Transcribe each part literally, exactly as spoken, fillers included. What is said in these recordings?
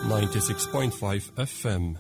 ninety-six point five F M.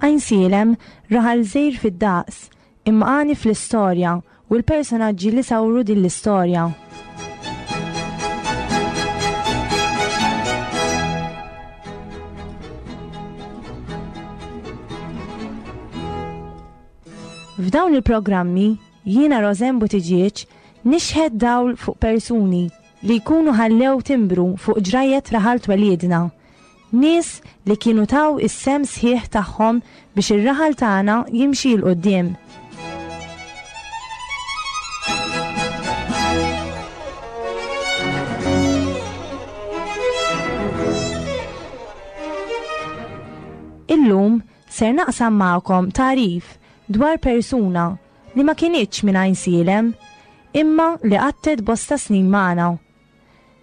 Għajnsielem raħal żgħir fid-daqs, imma għani fl-istorja u l-personaġġi li sawru din l-istorja. F'dawn il-programmi jiena Rosanne Buttigieg nixħed dawl fuq persuni li jkunu ħallew timbru fuq ġrajet raħal twelidna. Nies li kienu taw is-sem sħiħ tagħhom biex ir-raħal tagħna jimxi 'l quddiem. Illum ser naqsam magħkom tagħrif dwar persuna li ma kinitx minn Għajnsielem, imma li qattet bosta snin magħna.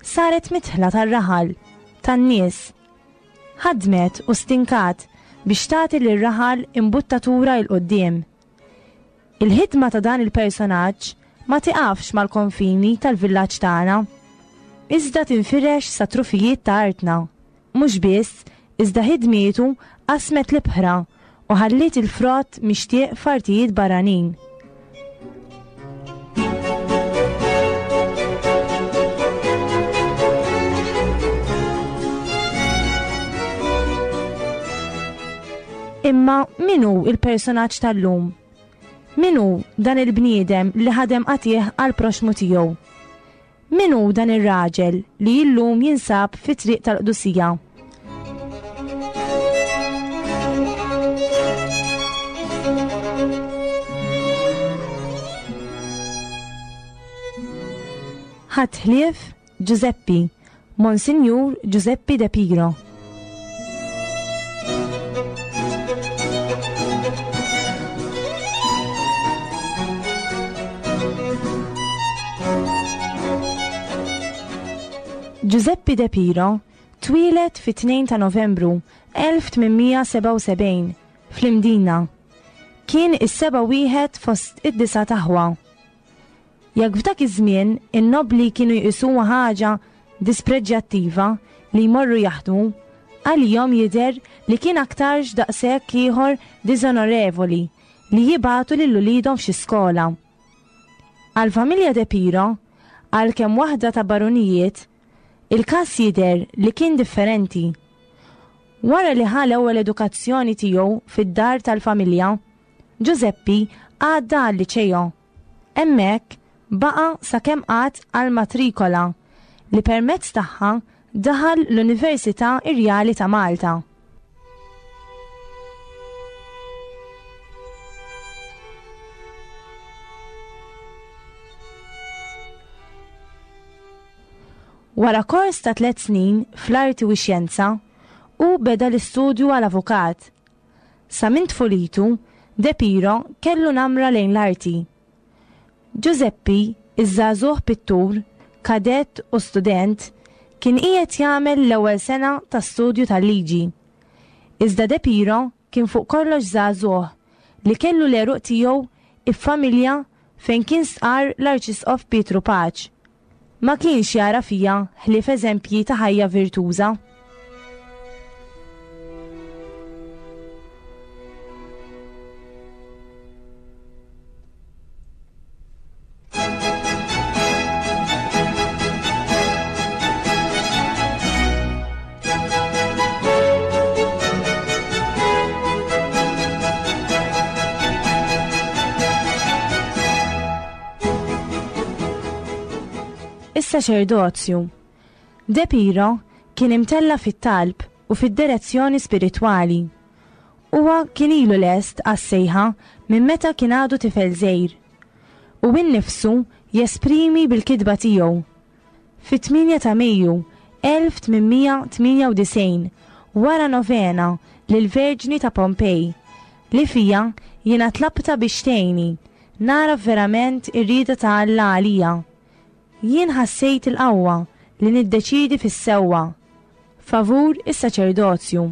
Saret mitħla tar-raħal, tan-nies. Ħadmet u stinkat biex tagħti lir-raħal imbuttatura 'l quddiem. Il-ħidma ta' dan il-personaġġ ma tiqafx mal-konfini tal-villaġġ tagħna, iżda tinfirex sa trufijiet ta' artna. Mhux biss, iżda ħidmietu qasmet l-ibħra u ħalliet il-frott mixtieq f'artijiet barranin. Imma min hu il-personaġġ tal-lum? Min hu dan il-bniedem li ħadem qatih għal proxmu tiegħu? Min hu dan ir-raġel li llum jinsab fi triq tal-qdusija? Ħadd ħlief Giuseppi, Monsinjur Giuseppi De Piro. Giuseppe De Piro twieled fit-tnejn ta' Novembru elf tmien sebgħa u sebgħin fl-Imdina. Kien is-seba' wieħed fost id-disa' taħwa. Jekk f'dak iż-żmien in-nobli kienu jqisuha ħaġa dispreġjattiva li jmorru jaħdmu, għalihom jidher li kien aktarx daqshekk ieħor diżonorevoli li jibgħatu lil uliedhom f'xi skola. Għall-familja De Piro, għalkemm waħda ta' barunijiet, il-każ jidher li kien differenti. Wara li ħa l-ewwel edukazzjoni tiegħu fid-dar tal-familja, Giuseppi għadda għal-liċeo. Hemmhekk baqa' sakemm qatt għall-matrikola li permezz tagħha daħal l-Università Irjali ta' Malta. Wara kors ta' tliet snin fl-arti u x-xjenza, hu beda l-istudju għal avukat. Sa minn tfulitu, De Piro kellu namra lejn l-arti. Giuseppi, iż-żagħżugħ pittur, kadett u student, kien qiegħed jagħmel l-ewwel sena ta' studju tal-liġi. Iżda De Piro kien fuq kollox żagħżugħ li kellu l-għeruq tiegħu if-familja fejn kien stqarr l-Arċisqof Pietru Paċ. Ma kienx jara fija ħlief eżempji ta' ħajja virtuża. Is-saċerdozju. De Piro kien imtella fit-talb u fid-direzzjoni spiritwali. Huwa kien ilu lest għas-sejħa minn meta kien għadu tifel żgħir. U innifsu jesprimi bil-kitba tiegħu. Fit-tmienja ta' Mejju elf tmien mija tmienja u disgħin, wara novena lill-Verġni ta' Pompej, li fija jiena tlabta biex tgħinni nara verament ir-rieda ta' Alla għalija. Jien ħassejt il-qawwa li niddeċidi fis-sewwa favur is-saċerdozju.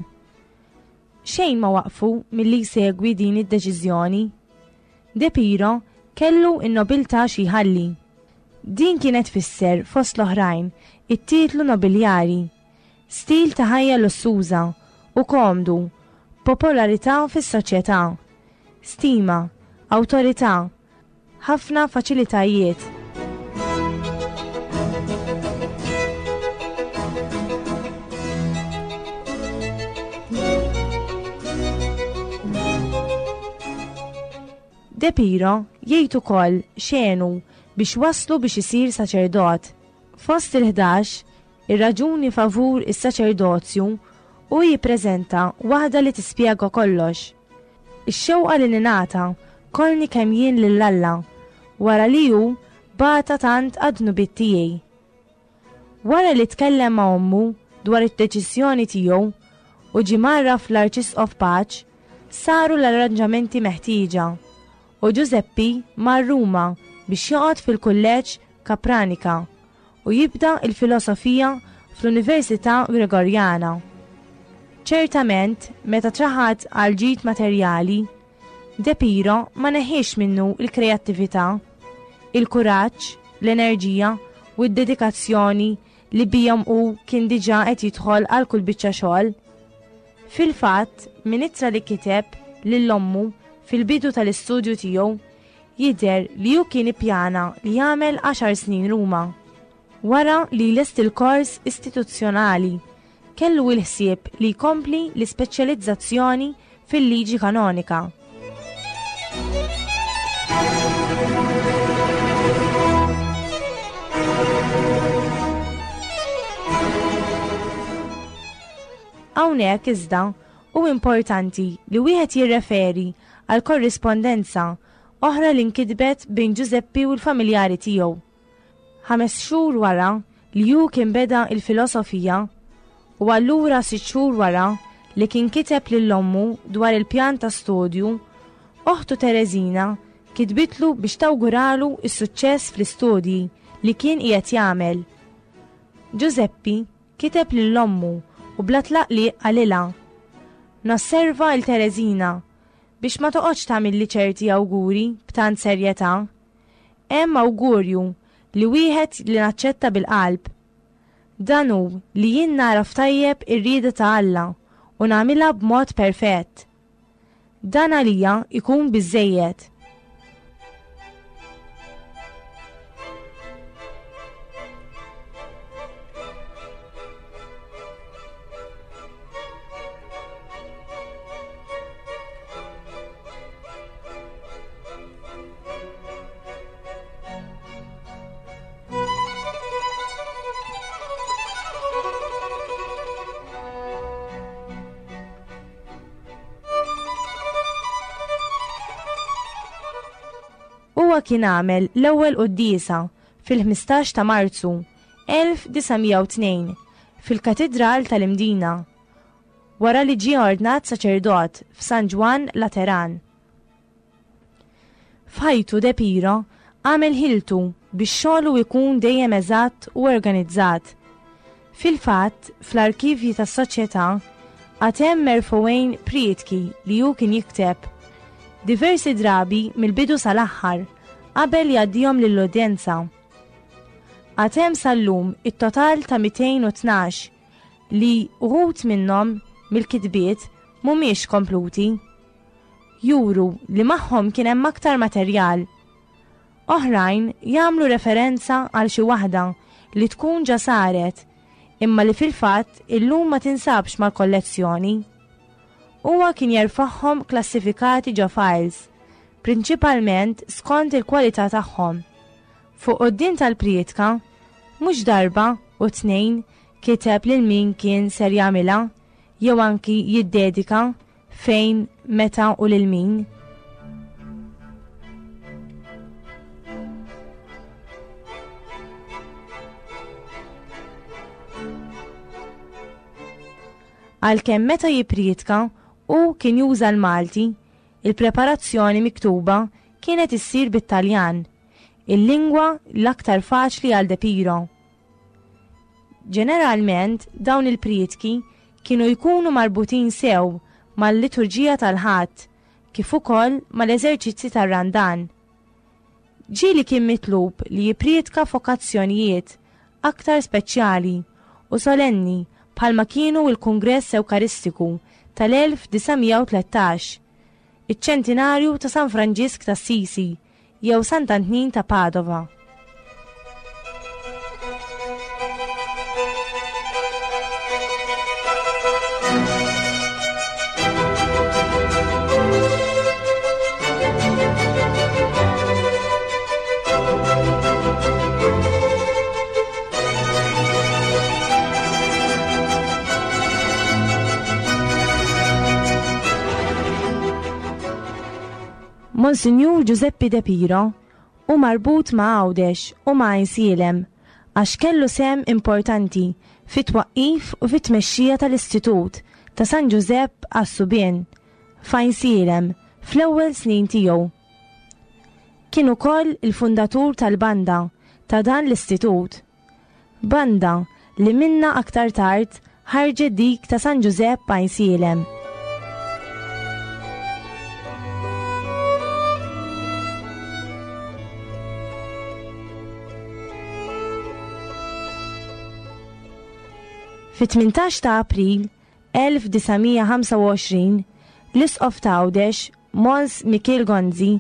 Xejn ma waqfu milli jsegwi din id-deċiżjoni. De Piro kellu n-nobiltà xi jħalli. Din kienet tfisser fost l-oħrajn it-titlu nobiljari, stil ta' ħajja lussuża u komdu, popolarità fis-soċjetà, stima, awtorità, ħafna faċilitajiet. De Piro jgħid ukoll xenu biex waslu biex isir saċerdot. Fost il-ħdax, ir-raġuni favur is-saċerdozju u jippreżenta waħda li tispjega kollox. Ix-xewqa li ningħata kollni kemm jien lil Alla wara li hu bata tant għad-dnubiet tiegħi. Wara li tkellem ma' ommu dwar id-deċiżjoni tiegħu u ġie marra fl-Arċisqof Pace, saru l-arranġamenti meħtieġa u Giuseppi mar Ruma biex joqgħod fil-Kulleġġ Capranica u jibda il-filosofija fl-Università Gregoriana. Ċertament, meta traħad għal ġid materjali, De Piro ma neħiex minnu il-kreattività, il-kuraġġ, l-enerġija u d-dedikazzjoni li bijom u kien diġà qed jidħol għal kull biċċa xogħol. Fil-fatt, minn ittra li kiteb lil ommu fil-bidu tal-istudju tiegħu, jidher li hu kien ippjana li jagħmel għaxar snin Ruma. Wara li lest il-kors istituzzjonali, kellu l-ħsieb li jkompli l-ispeċjalizzazzjoni fil-liġi kanonika. Hawnhekk iżda hu importanti li wieħed jirreferi għal korrispondenza oħra li nkitbet bejn Giuseppi u l-familjari tiegħu. Ħames xhur wara li hu kien beda il-filosofija u allura sitt xhur wara li kien kiteb lil ommu dwar il-pjan ta' studju, oħtu Tereżina kitbitlu biex tawguralu s-suċċess fl-istudji li kien qiegħed jagħmel. Giuseppi kiteb lil ommu u bla tlaqliq qalilha: Nosserva il Tereżina biex ma toqgħodx tagħmilli ċerti awguri b'tant serjetà. Hemm awgurju li wieħed li naċċetta bil-qalb. Dan hu li jien nagħraf tajjeb ir-rieda ta' Alla u nagħmilha b'mod perfett. Dan għalija ikun biżżejjed. Huwa kien għamel l-ewwel quddiesa fil-ħmistax ta' Marzu elf disa' mija u tnejn fil-Katidral tal-Imdina, wara li ġie ordnat saċerdot f'San Ġwann Lateran. F'ħajtu De Piro għamel ħiltu biex xogħlu jkun dejjem eżatt u organizzat. Fil-fatt, fl-arkivji tas-soċjetà għad hemm merfugħin prietki li hu kien jikteb diversi drabi mill-bidu sal-aħħar qabel jgħaddihom lill-udjenza. Għad hemm sal-lum it-total ta' mitejn u tnax li uħud minnhom mill-kitbiet mhumiex kompluti. Juru li magħhom kien hemm aktar materjal. Oħrajn jagħmlu referenza għal xi waħda li tkun ġa saret imma li fil-fatt illum ma tinsabx mal-kollezzjoni. Huwa kien jerfagħhom klassifikati ġo files, prinċipalment skont il-kwalità tagħhom. Fuq quddiem tal-prietka Mhux darba u tnejn kiteb lil min kien ser jagħmilha jew anki jiddedika fejn, meta u lil min. Għalkemm meta jippriedka hu kien juża l-Malti, il-preparazzjoni miktuba kienet issir bit-Taljan, il-lingwa l-aktar faċli għal De Piro. Ġeneralment dawn il-priedki kienu jkunu marbutin sew mal-liturġija tal-Ħadd kif ukoll mal-eżerċizzi tar-Randan. Ġieli kien mitlub li jippriedka f'okkazzjonijiet aktar speċjali u solenni bħalma kienu l-Kungress Ewkaristiku tal-elf disa' mija u tlettax, iċ-ċentinarju ta' San Franġisk ta' Assisi jew Sant'Antnin ta' Padova. Monsinjur Giuseppe De Piro hu marbut ma' Għawdex u ma' Għajnsielem għax kellu sehem importanti fit-twaqqif u fit-tmexxija tal-Istitut ta' San Ġużepp għas-Subien f'Għajnsielem fl-ewwel snin tiegħu. Kien ukoll il-fundatur tal-banda ta' dan l-istitut. Banda li minna aktar tard ħarġet dik ta' San Ġużepp Għajnsielem. Fit-tmintax ta' April elf disa' mija ħamsa u għoxrin, l-Isqof ta' Għawdex, Mons Mikiel Gonzi,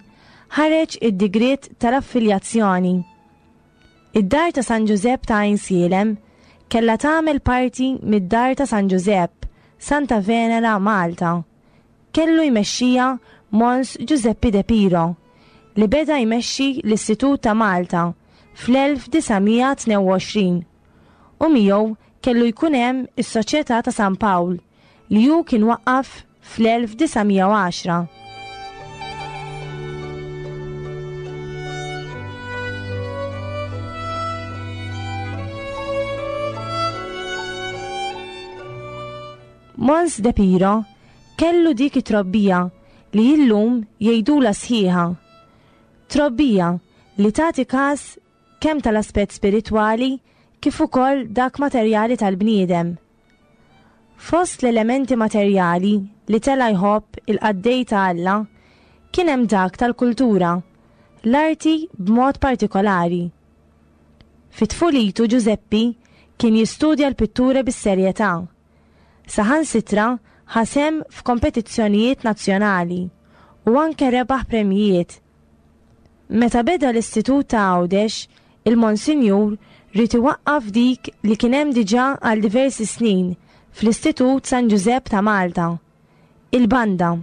ħareġ id-digriet tal-affiljazzjoni. Id-dar ta' San Ġużepp ta' Għajnsielem kellha tagħmel parti mid-dar ta' San Ġużepp, Santa Venera, Malta. Kellu jmexxija Mons Giuseppe De Piro, li beda jmexxi l-Istitut ta' Malta fl-elf disa' mija tnejn u għoxrin u miegħu kellu jkun hemm is-Soċjetà ta' San Pawl li hu kien waqqaf fl-elf disa' mija u għaxra. Mons De Piro kellu dik it-trobbija li illum jgħidula sħiħa. Trobbija li tagħti każ kemm tal-aspett spiritwali kif ukoll dak materjali tal-bniedem. Fost l-elementi materjali li tela jħobb il-qaddej ta' Alla kien hemm dak tal-kultura, l-arti b'mod partikolari. Fit-tfulitu Giuseppi kien jistudja l-pittura bis-serjetà. Saħansitra ħasem f'kompetizzjonijiet nazzjonali u anke rebaħ premjijiet. Meta beda l-Istitut ta' Għawdex, il-Monsinjur ried iwaqqaf dik li kien hemm diġà għal diversi snin fl-Istitut San Ġużepp ta' Malta, il-banda.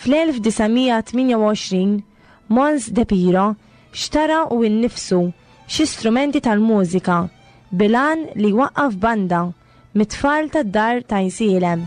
Fl-elf disa' mija tmienja u għoxrin, Mons De Piro xtara u innifsu xi strumenti tal-mużika bilan li waqqaf banda mit-tfal tad-dar ta' Għajnsielem.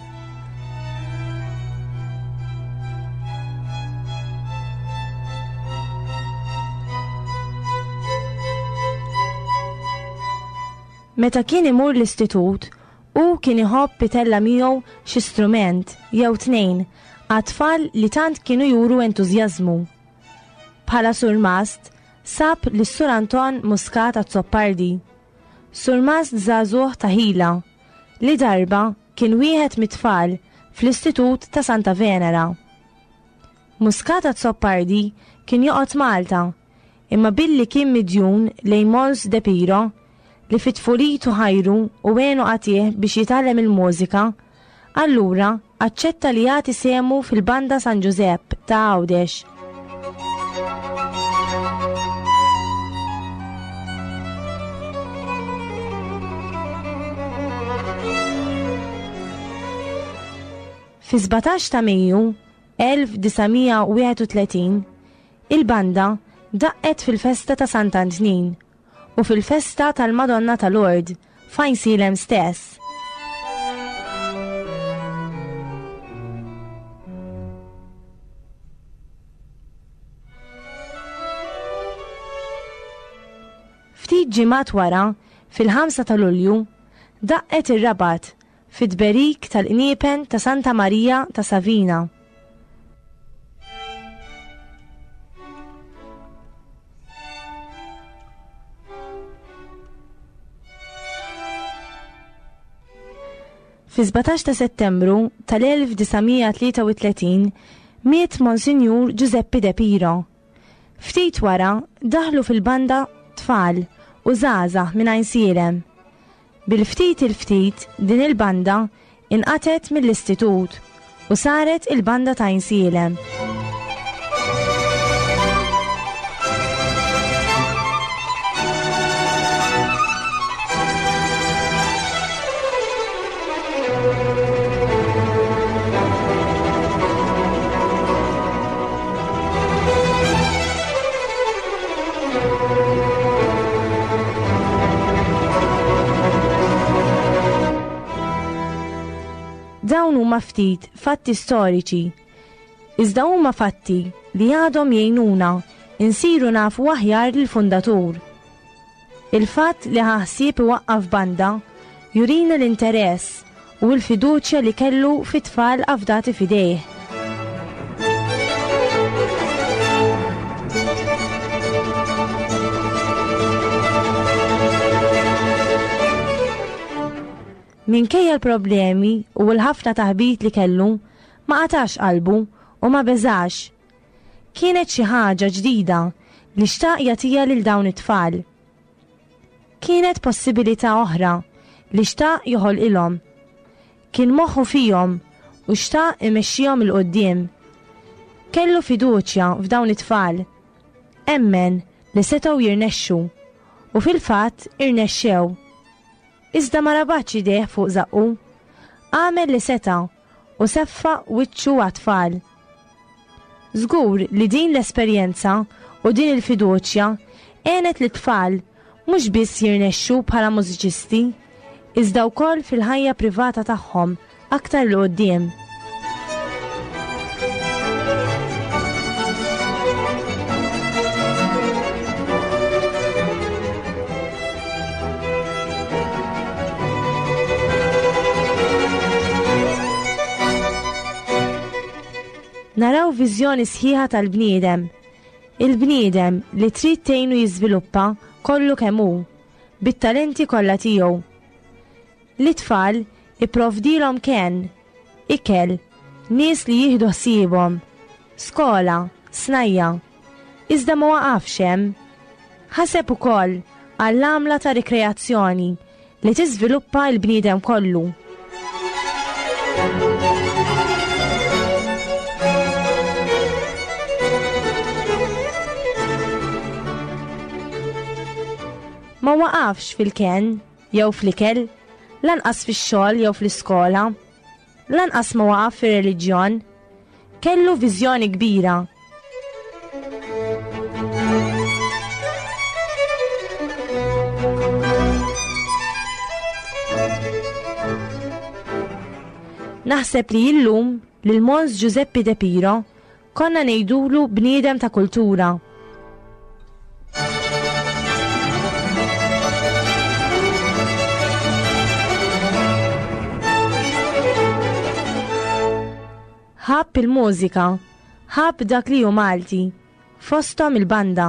Meta kien imur l-istitut, hu kien iħobb itella' miegħu xi strument jew tnejn għat-tfal li tant kienu juru entużjażmu. Bħala surmast, sab lis Sur Anton Muscat Azzopardi, surmast żagħżugħ ta' ħila, li darba kien wieħed mit-tfal fl-Istitut ta' Santa Venera. Muscat Azzopardi kien joqgħod Malta, imma billi kien midjun lejn Mons De Piro, li fit-tfulitu ħajru u għenu qatih biex jitgħallem il-mużika, allura aċċetta li jagħti sehmu fil-Banda San Ġużepp ta' Għawdex. Fi sbatax ta' Mejju elf disa' mija u wieħed u tletin, il-banda daqqet fil-festa ta' Sant'Antnin u fil-festa tal-Madonna ta' Lourdes f'Għajnsielem stess. Ftit ġimgħat wara, fil-ħamsa ta' Lulju, daqqet ir-Rabat fit-tberik tal-qniepen ta' Santa Marija ta' Savina. Fi sbatax ta' Settembru tal-elf disa' mija tlieta u tletin miet Monsinjur Giuseppe De Piro. Ftit wara daħlu fil-banda tfal u żgħażagħ minn Għajnsielem. Bil-ftit il-ftit din il-banda inqatet mill-istitut u saret il-banda ta' Għajnsielem. Dawn huma ftit fatti storiċi, iżda huma fatti li għadhom jgħinuna insiru nafu aħjar lill-fundatur. Il-fatt li ħa ħsieb iwaqqaf banda jurina l-interess u l-fiduċja li kellu fit-tfal afdati f'idejh. Minkejja l-problemi u l-ħafna taħbit li kellu, ma qatax qalbu u ma beżax. Kienet xi ħaġa ġdida li xtaq jagħtiha lil dawn it-tfal. Kienet possibilità oħra li xtaq joħolqilhom. Kien moħħu fihom u xtaq imexxihom 'il quddiem. Kellu fiduċja f'dawn it-tfal. Emmen li setgħu jirnexxu u fil-fatt irnexxew. Iżda ma rabatx idejh fuq żaqqu, għamel li seta' u seffa wiċċu għat-tfal. Żgur li din l-esperjenza u din il-fiduċja għenet li tfal mhux biss jirnexxu bħala mużiċisti, iżda wkoll fil-ħajja privata tagħhom aktar 'l quddiem. Naraw viżjoni sħiħa tal-bniedem. Il-bniedem li trid tgħinu jiżviluppa kollu kemm hu, bit-talenti kollha tiegħu. L-itfal ipprovdilhom kenn, ikel, nies li jieħdu ħsiebhom, skola, snajja. Iżda ma waqafx hemm. Ħaseb ukoll għall-għamla ta' rikreazzjoni li tiżviluppa l-bniedem kollu. Ma waqafx fil-kenn jew fl-ikel, lanqas fix-xogħol jew fl-iskola, lanqas ma waqaf fir-reliġjon. Kellu viżjoni kbira. Naħseb li illum lil Mons Giuseppe De Piro konna ngħidulu bniedem ta' kultura. Ħabb il-mużika, ħabb dak li hu Malti, fosthom il-banda.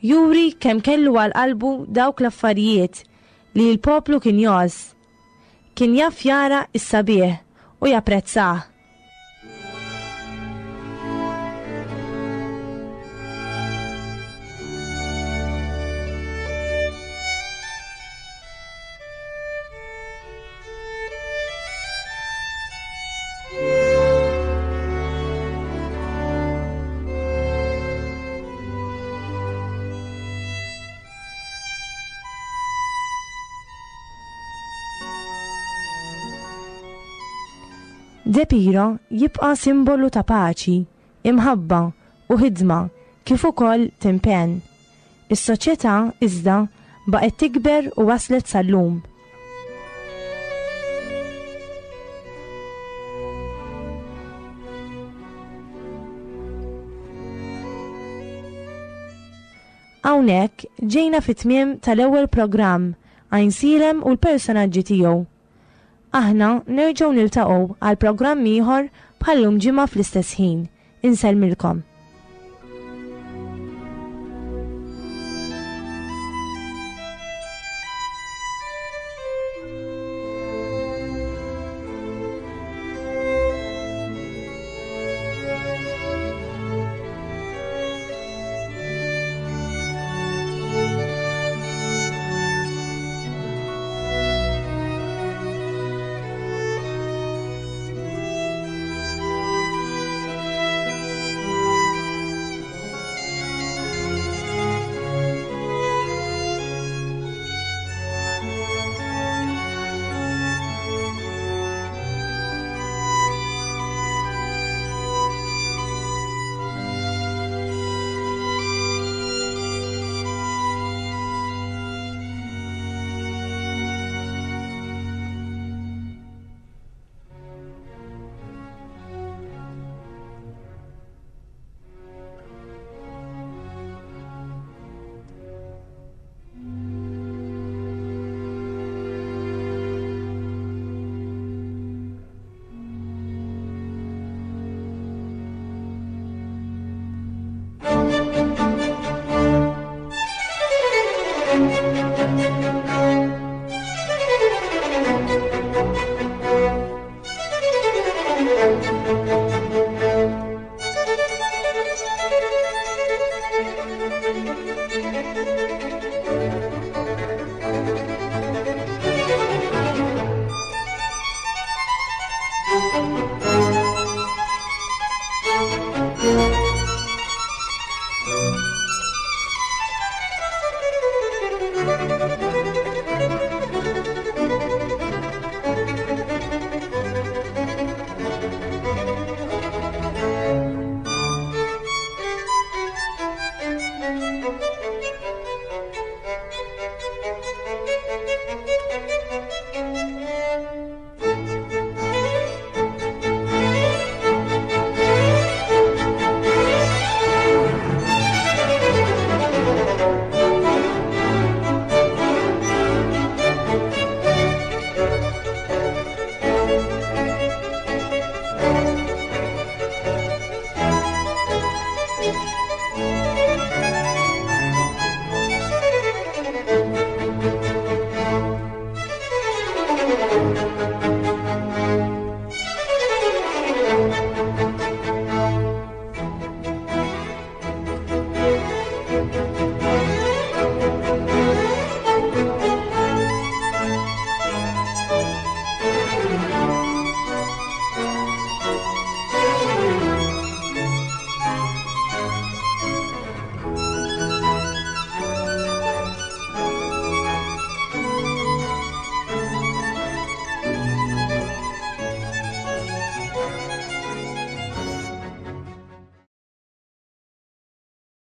Juri kemm kellu għal qalbu dawk l-affarijiet li l-poplu kien jgħożż. Kien jaf jara s-sabiħ u japprezzah. De Piro jibqa' simbolu ta' paċi, imħabba u ħidma kif ukoll t'impenn. Is-soċjetà iżda baqgħet tikber u waslet sal-lum. Hawnhekk ġejna fit-tmiem tal-ewwel programm Għajnsielem u l-personaġġi tiegħu. Aħna nerġgħu niltaqgħu għal programm ieħor bħal-lum ġimgħa fl-istess ħin. Insellmilkom.